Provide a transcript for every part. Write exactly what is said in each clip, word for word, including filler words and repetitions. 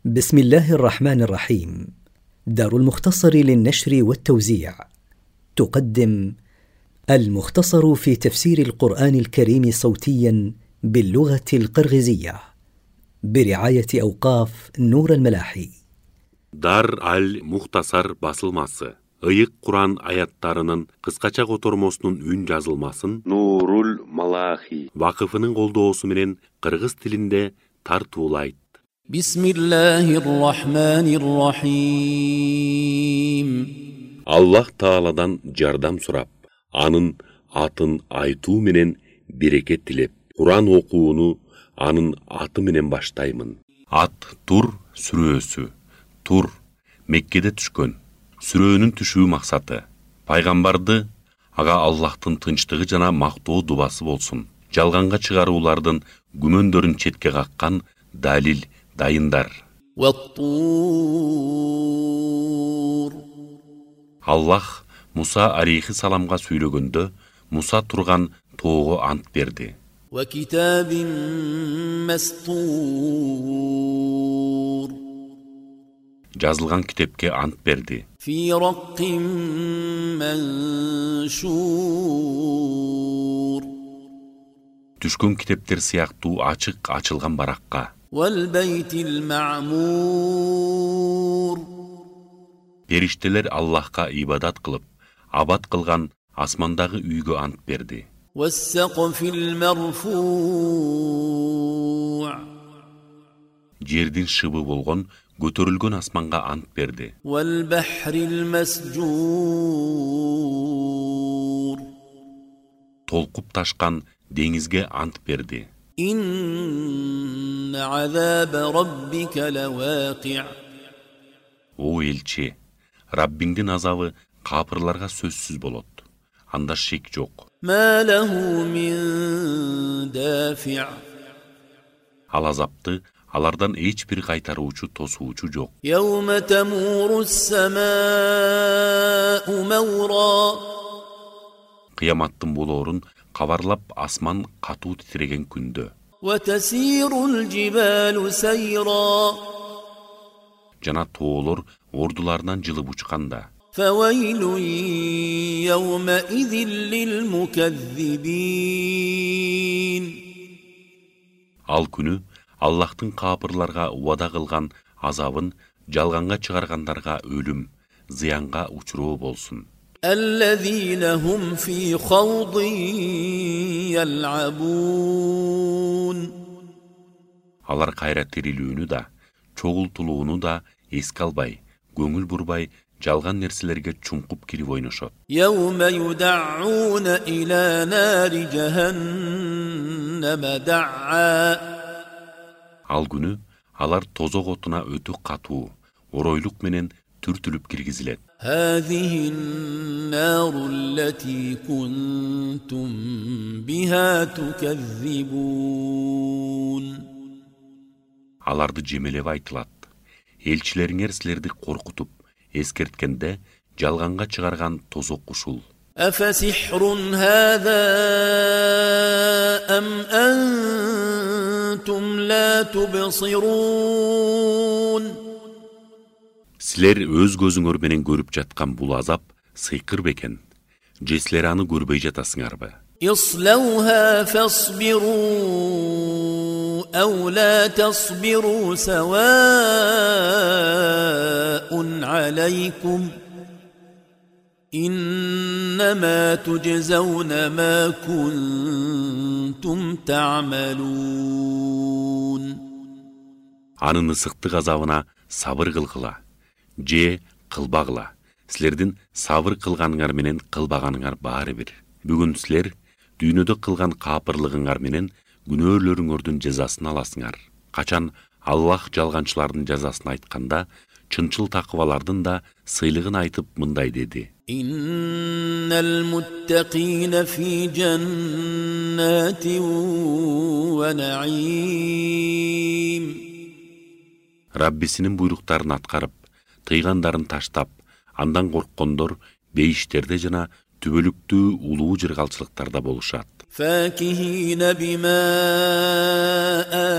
بسم الله الرحمن الرحيم. دار المختصر للنشر والتوزيع تقدم المختصر في تفسير القرآن الكريم صوتيا باللغة القرغيزية برعاية أوقاف نور الملاحي. Дар аль-Мухтасар басылмасы. Ыйык Куран аяттарынын кыскача котормосунун үн жазылмасын Нурул Малахи вакыфынын колдоосу менен кыргыз тилинде тартуулайт. Бисмиллахир-рахманир-рахим. Аллах Тааладан жардам сурап, анын атын айтуу менен берекет тилеп, Куран окууну анын аты менен баштаймын. Ат Тур сүрөсү. Тур Меккеде түшкөн. Сүрөөнүн түшүү максаты пайгамбарды ага Аллахтын тынчтыгы жана мактоо дубасы болсун. Жалганга чыгаруулардын күмөндөрүн четке каккан далил дайындар. Аллах Муса алейхиссаламга сүйлөгөндө Муса турган тоого ант берди. Жазылган китепке ант берди. Түшкөн китептер сыяктуу ачык ачылган баракка. Периштелер Аллахка ибадат кылып, абад кылган асмандагы үйгө ант берди. Жердин шыбы болгон көтөрүлгөн асманга ант берди. Толкуп ташкан деңизге ант берди. О элчи, Раббиңдин азабы капырларга сөзсүз болот. Анда шек жок. Ал азапты алардан эч бир кайтаруучу тосуучу жок. Кыяматтын болоорун кабарлап асман катуу титиреген күндө. Жана тоолор ордуларынан жылып учканда. Ал күнү Аллахтын капырларга убада кылган азабын жалганга чыгаргандарга өлүм, зыянга учуроо болсун. Алар кайра тирилүүнү да, чогултулууну да эске албай, көңүл бурбай, жалган нерселерге чуңкуп кирип ойношот. Ал күнү алар тозок отуна өтө катуу, оройлук менен түртүлүп киргизилет. Аларды жемелеп айтылат. Элчилериңер силерди коркутуп, эскерткенде жалганга чыгарган тозок ушул. Силер өз көзүңөр менен көрүп жаткан бул азап сыйкыр бекен. Же силер аны көрбөй жатасыңарбы? أو لا تصبروا سواء عليكم إنما تجزون ما كنتم تعملون. Анын ысыктык азабына сабыр кылгыла, же кылбагыла. Силердин сабыр кылганыңар менен кылбаганыңар баары бир. Бүгүн силер дүйнөдө кылган капырлыгыңар менен күнөөлөрүңөрдүн жазасын аласыңар. Качан Аллах жалганчылардын жазасын айтканда, чынчыл такыбалардын да сыйлыгын айтып мындай деди. Иннал муттакина фи джаннатин ва наим. Раббисинин буйруктарын аткарып, тыйгандарын таштап, андан корккондор бейиштерде жана түбөлүктүү улуу жыргалчылыктарда болушат. فاكهين بما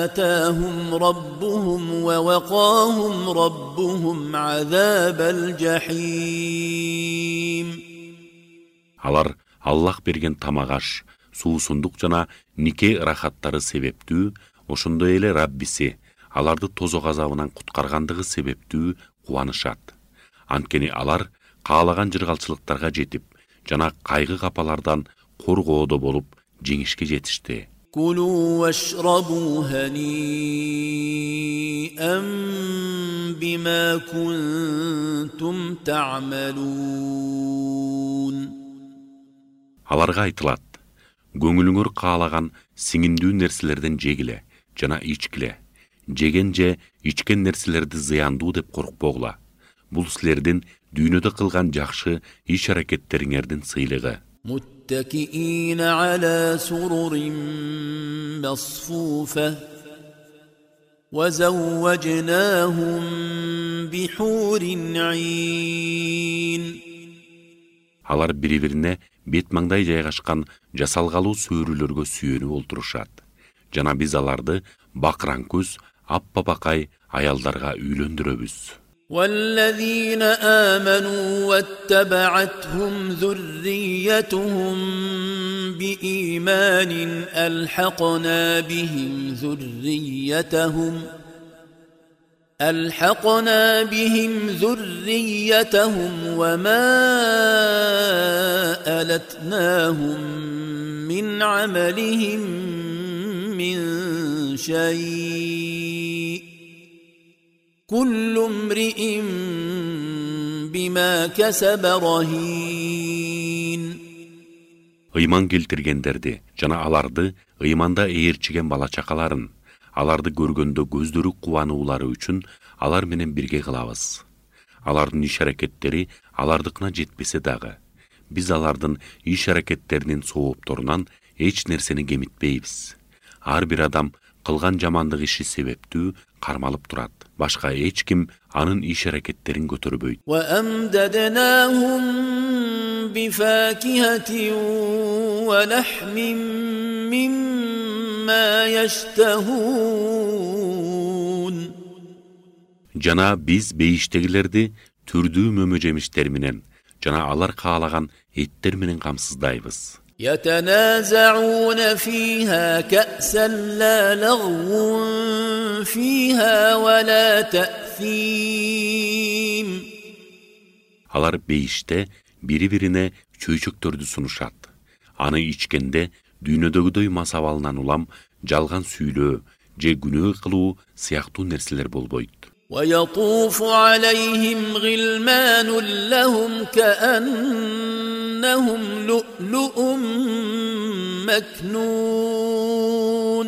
آتاهم ربهم ووقاهم ربهم عذاب الجحيم. Алар Аллах берген тамагаш, суусундук жана нике ырахаттары себептүү, ошондой эле Раббиси аларды тозок азабынан куткаргандыгы себептүү кубанышат. Анткени алар каалаган жыргалчылыктарга жетип, жана кайгы капалардан коргоодо болуп жеңишке жетишти. كلوا واشربوا هنيئا بما كنتم تعملون. Аларга айтылат: көңүлүңөр каалаган сиңиндүү нерселерден жегиле жана ичкиле. Жеген же ичкен нерселерди зыяндуу деп коркпогула. Бул силердин дүйнөдө кылган жакшы иш-аракеттериңердин сыйлыгы. متكئين على سرر مصفوفة وزوجناهم بحور عين. Алар бири-бирине бет маңдай жайгашкан жасалгалуу сөөрүлөргө сүйөнүп олтурушат. Жана биз аларды бакыран көз, аппапакай аялдарга үйлөндүрөбүз. والذين آمنوا واتبعتهم ذريتهم بإيمان ألحقنا بهم ذريتهم ألحقنا بهم ذريتهم وما ألتناهم من عملهم من شيء كل امرئ بما كسب رهين. Ыйман келтиргендерди жана аларды ыйманда ээрчиген бала чакаларын, аларды көргөндө көздөрү кубануулары үчүн алар менен бирге кылабыз. Алардын иш-аракеттери алардыкына жетпесе дагы, биз алардын иш-аракеттеринин соопторунан эч нерсени кемитпейбиз. Ар бир адам кылган жамандык иши себептүү кармалып турат. Башка эч ким анын иш-аракеттерин көтөрбөйт. وأمددناهم بفاكهة ولحم مما يشتهون. Жана биз бейиштегилерди түрдүү мөмө жемиштер менен жана алар каалаган эттер менен камсыздайбыз. يتنازعون فيها كأسا لا لغو فيها ولا تأثيم. Алар бейиште бири-бирине чөйчөктөрдү сунушат. Аны ичкенде дүйнөдөгүдөй масабалынан улам жалган сүйлөө же күнөө кылуу сыяктуу нерселер болбойт. ويطوف عليهم غلمان لهم كأنهم لؤلؤ مكنون.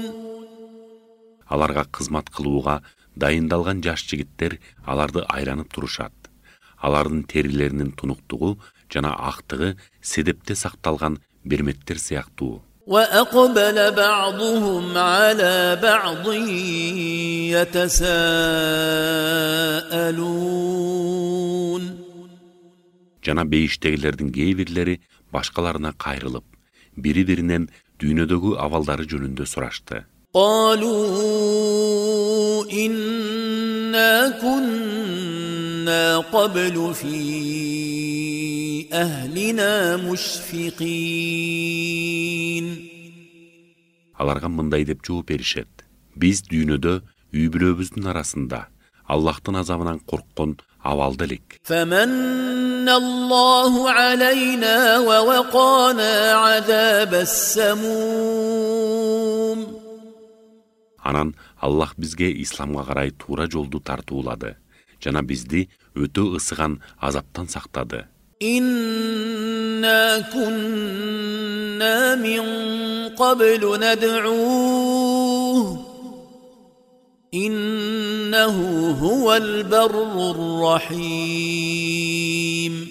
Аларга кызмат кылууга дайындалган жаш жигиттер аларды айланып турушат. Алардын терилеринин тунуктугу жана актыгы седепте сакталган берметтер сыяктуу. وأقبل بعضهم على بعض يتساءلون. Жана бейиштегилердин кээ бирлери башкаларына кайрылып, бири-биринен дүйнөдөгү абалдары жөнүндө сурашты. قالوا إنا كنا قبل في أهلنا مشفقين. Аларга мындай деп жооп беришет: биз дүйнөдө үй бүлөбүздүн арасында Аллахтын азабынан корккон абалда элек. فمن الله علينا ووقانا عذاب السموم. Анан Аллах бизге исламга карай туура жолду тартуулады жана бизди өтө ысыган азаптан сактады. إنا كنا من قبل ندعوه إنه هو البر الرحيم.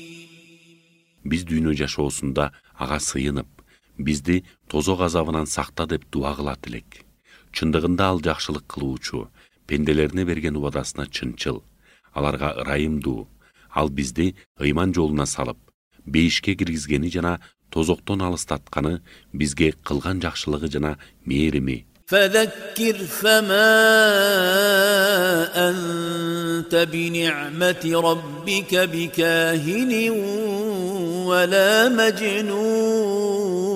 Биз дүйнө жашоосунда ага сыйынып, бизди тозок азабынан сакта деп дуа кылат элек. Чындыгында ал жакшылык кылуучу, пенделерине берген убадасына чынчыл, аларга ырайымдуу. Ал бизди ыйман жолуна салып, бейишке киргизгени жана тозоктон алыстатканы, бизге кылган жакшылыгы жана мээрими. فذكر فما أنت بنعمة ربك بكاهن ولا مجنون.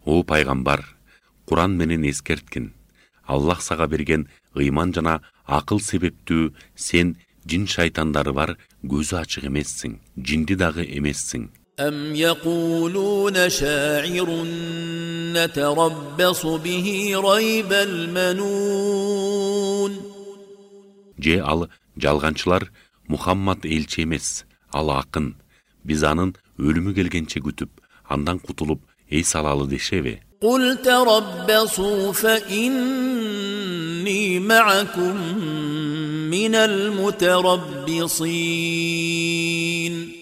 О пайгамбар, Куран менен эскерткин. Аллах сага берген ыйман жана акыл себептүү сен жин шайтандары бар көзү ачык эмессиң, жинди дагы эмессиң. أم يقولون شاعر نتربص به ريب المنون. Же ал жалганчылар Мухаммад элчи эмес, ал акын. Биз анын өлүмү келгенче күтүп, андан кутулуп эс алалы дешеби? قل تربصوا فإني معكم من المتربصين.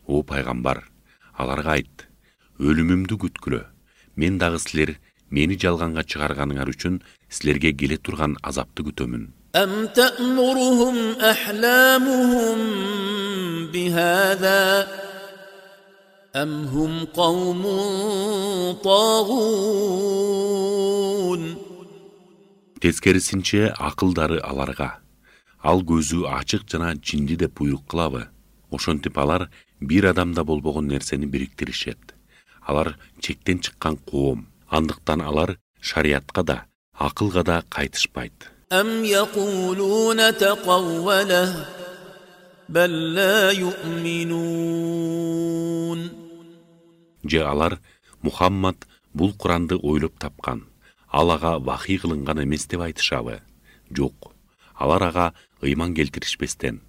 О пайгамбар, аларга айт, өлүмүмдү күткүлө. Мен дагы силер мени жалганга чыгарганыңар үчүн силерге келе турган азапты күтөмүн. أم تأمرهم أحلامهم بهذا أم هم قوم طاغون. Тескерисинче акылдары аларга, ал көзү ачык жана жинди деп буйрук кылабы? Ошентип алар бир адамда болбогон нерсени бириктиришет. Алар чектен чыккан коом. Андыктан алар шариятка да, акылга да кайтышпайт. أم يقولون تقوله بل لا يؤمنون. Же алар Мухаммад бул Куранды ойлоп тапкан, ал ага вахий кылынган эмес деп айтышабы? Жок. Алар ага ыйман келтиришпестен,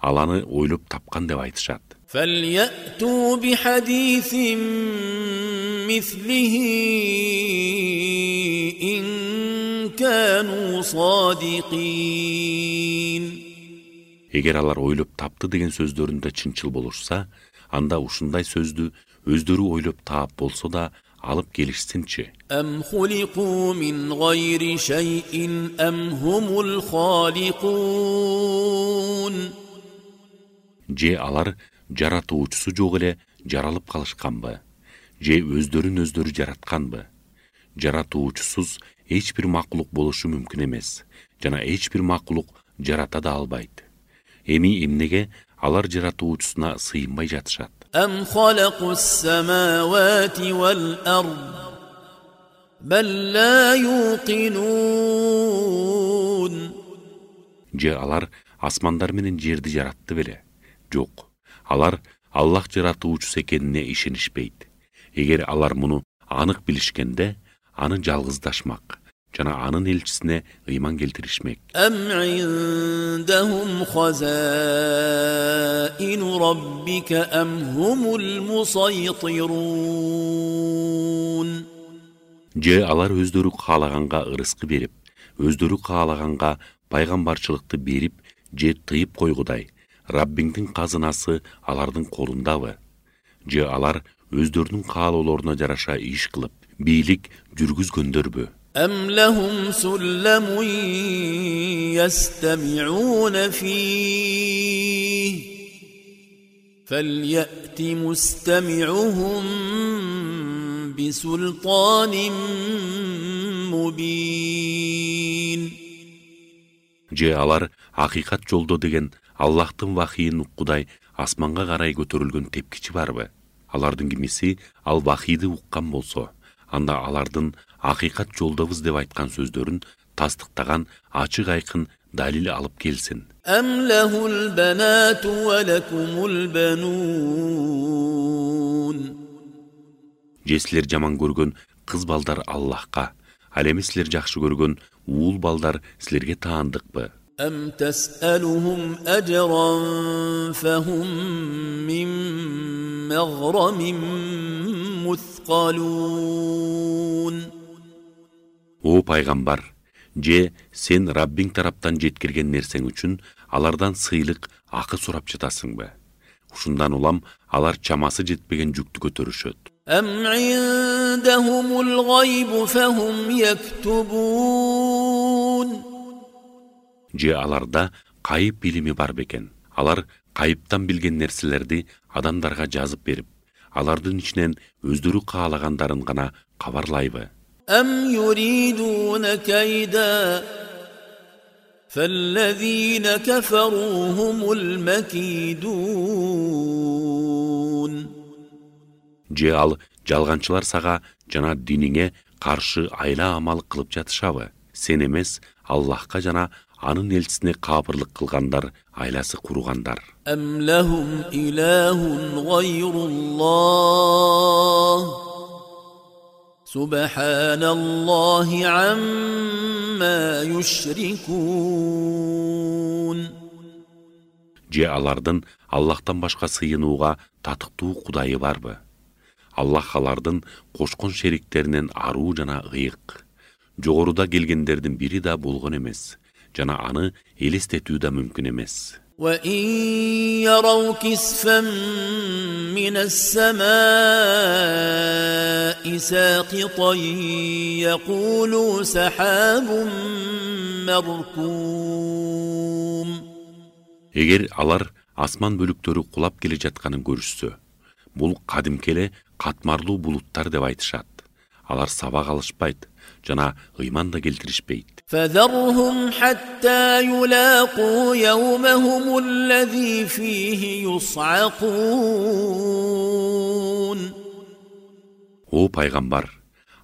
ал аны ойлоп тапкан деп айтышат. فليأتوا بحديث مثله إن كانوا صادقين. Эгер алар ойлоп тапты деген сөздөрүндө чынчыл болушса, анда ушундай сөздү өздөрү ойлоп таап болсо да алып келишсинчи. أم خلقوا من غير شيء أم هم الخالقون. Же алар жаратуучусу жок эле жаралып калышканбы? Же өздөрүн өздөрү жаратканбы? Жаратуучусуз эч бир макулук болушу мүмкүн эмес, жана эч бир макулук жарата да албайт. Эми эмнеге алар жаратуучусуна сыйынбай жатышат? أم خلقوا السماوات والأرض بل لا يوقنون. Же алар асмандар менен жерди жаратты беле? Жок. Алар Аллах жаратуучусу экенине ишенишпейт. Эгер алар муну анык билишкенде, аны жалгыздашмак жана анын элчисине ыйман келтиришмек. أم عندهم خزائن ربك أم هم المسيطرون. Же алар өздөрү каалаганга ырыскы берип, өздөрү каалаганга пайгамбарчылыкты берип, же тыйып койгудай, Раббиңдин казынасы алардын колундабы? Же алар өздөрүнүн каалоолоруна жараша иш кылып, бийлик жүргүзгөндөрбү? أم لهم سلم يستمعون فيه فليأت مستمعهم بسلطان مبين. Же алар акыйкат жолдо деген Аллахтын вахийин уккудай асманга карай көтөрүлгөн тепкичи барбы? Алардын кимиси ал вахийди уккан болсо, анда алардын акыйкат жолдобуз деп айткан сөздөрүн тастыктаган ачык айкын далил алып келсин. أم له البنات ولكم البنون. Же силер жаман көргөн кыз балдар Аллахка, ал эми силер жакшы көргөн уул балдар силерге таандыкпы? أم تسألهم أجرا فهم من مغرم مثقلون. О пайгамбар, же сен Раббиң тараптан жеткирген нерсең үчүн алардан сыйлык акы сурап жатасыңбы? Ушундан улам алар чамасы жетпеген жүктү көтөрүшөт. أم عندهم الغيب فهم يكتبون. Же аларда кайып билими бар бекен? Алар кайыптан билген нерселерди адамдарга жазып берип, алардын ичинен өздөрү каалагандарын гана кабарлайбы? أم يريدون كيدا فالذين كفروا هم المكيدون. Же ал жалганчылар сага жана диниңе каршы айла амал кылып жатышабы? Сен эмес, Аллахка жана анын элчисине капырлык кылгандар айласы кургандар. أم لهم إله غير الله سبحان الله عما يشركون. Же алардын Аллахтан башка сыйынууга татыктуу кудайы барбы? Аллах алардын кошкон шериктеринен аруу жана ыйык. Жогоруда келгендердин бири да болгон эмес, жана аны элестетүү да мүмкүн эмес. وَإِنْ يَرَوْا كِسْفًا مِنَ السَّمَاءِ سَاقِطًا يَقُولُوا سَحَابٌ مَرْكُومٌ. Эгер алар асман бөлүктөрү кулап келе жатканын көрүшсө, бул кадимки эле катмарлуу булуттар деп айтышат. Алар сабак алышпайт жана ыйман да келтиришпейт. فَذَرْهُمْ حَتَّى يُلَاقُوا يَوْمَهُمُ الَّذِي فِيهِ يُصْعَقُونَ. О пайгамбар,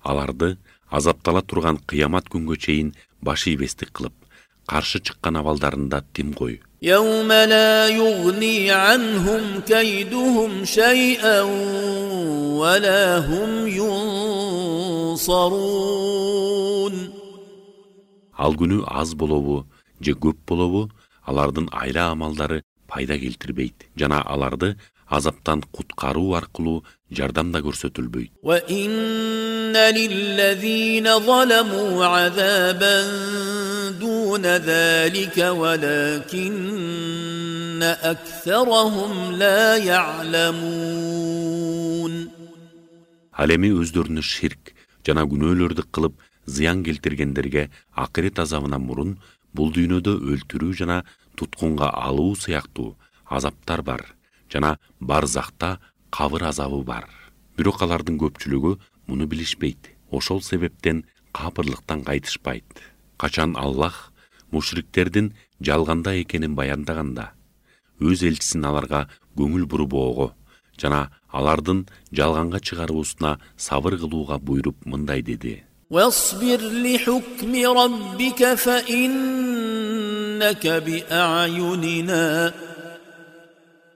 аларды азаптала турган кыямат күнгө чейин баш ийбестик кылып, каршы чыккан абалдарында тим кой. يَوْمَ لَا يُغْنِي عَنْهُمْ كَيْدُهُمْ شَيْئًا وَلَا هُمْ يُنصَرُونَ. Ал күнү аз болобу, же көп болобу, алардын айла амалдары пайда келтирбейт, жана аларды азаптан куткаруу аркылуу жардам да көрсөтүлбөйт. وَإِنَّ لِلَّذِينَ ظَلَمُوا عَذَابًا دُونَ ذَلِكَ وَلَكِنَّ أَكْثَرَهُمْ لَا يَعْلَمُونَ. Ал эми өздөрүнө ширк жана күнөөлөрдү кылып зыян келтиргендерге акырет азабынан мурун бул дүйнөдө өлтүрүү жана туткунга алуу сыяктуу азаптар бар, жана барзакта кабыр азабы бар. Бирок алардын көпчүлүгү муну билишпейт. Ошол себептен капырлыктан кайтышпайт. Качан Аллах мушриктердин жалганда экенин баяндаганда, өз элчисин аларга көңүл бурбоого жана алардын жалганга чыгаруусуна сабыр кылууга буйруп мындай деди: وَاصْبِرْ لِحُكْمِ رَبِّكَ فَإِنَّكَ بِأَعْيُنِنَا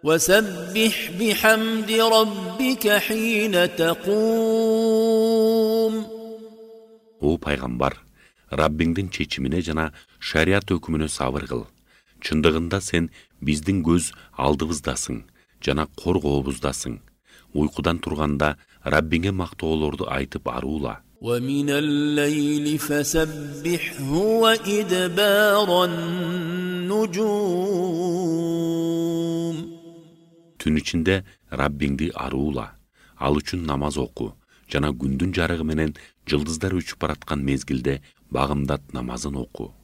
وَسَبِّحْ بِحَمْدِ رَبِّكَ حِينَ تَقُومُ. О пайгамбар, Раббиңдин чечимине жана шарият өкүмүнө сабыр кыл. Чындыгында сен биздин көз алдыбыздасың жана коргообуздасың. Уйкудан турганда Раббиңе мактоолорду айтып аруула. وَمِنَ اللَّيْلِ فَسَبِّحْهُ وَإِدْبَارَ النُّجُومِ. Түн ичинде Раббиңди аруула. Ал үчүн намаз оку жана күндүн жарыгы менен жылдыздар учуп бараткан мезгилде багымдат намазын оку.